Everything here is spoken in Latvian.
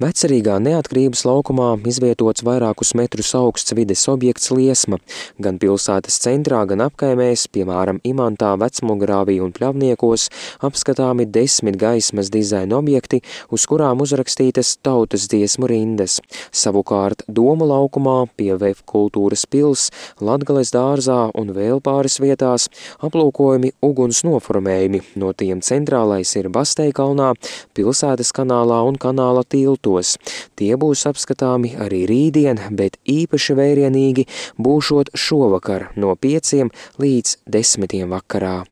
Vecerīgā Neatkarības laukumā izvietots vairākus metrus augsts vides objekts Liesma. Gan pilsētas centrā, gan apkaimēs, piemēram, Imantā, Vecmugurāvī un Pļavniekos, apskatāmi 10 gaismas dizaina objekti, uz kurām uzrakstītas tautas dziesmu rindas. Savukārt Domu laukumā, pie VF kultūras pils, Latgales dārzā un vēl pāris vietās aplūkojumi uguns noformējumi, no tiem centrālais ir Basteikalnā, pilsētas kanālā un kanāla tiltos. Tie būs apskatāmi arī rītdien, bet īpaši vērienīgi būšot šovakar no 5 līdz 10 vakarā.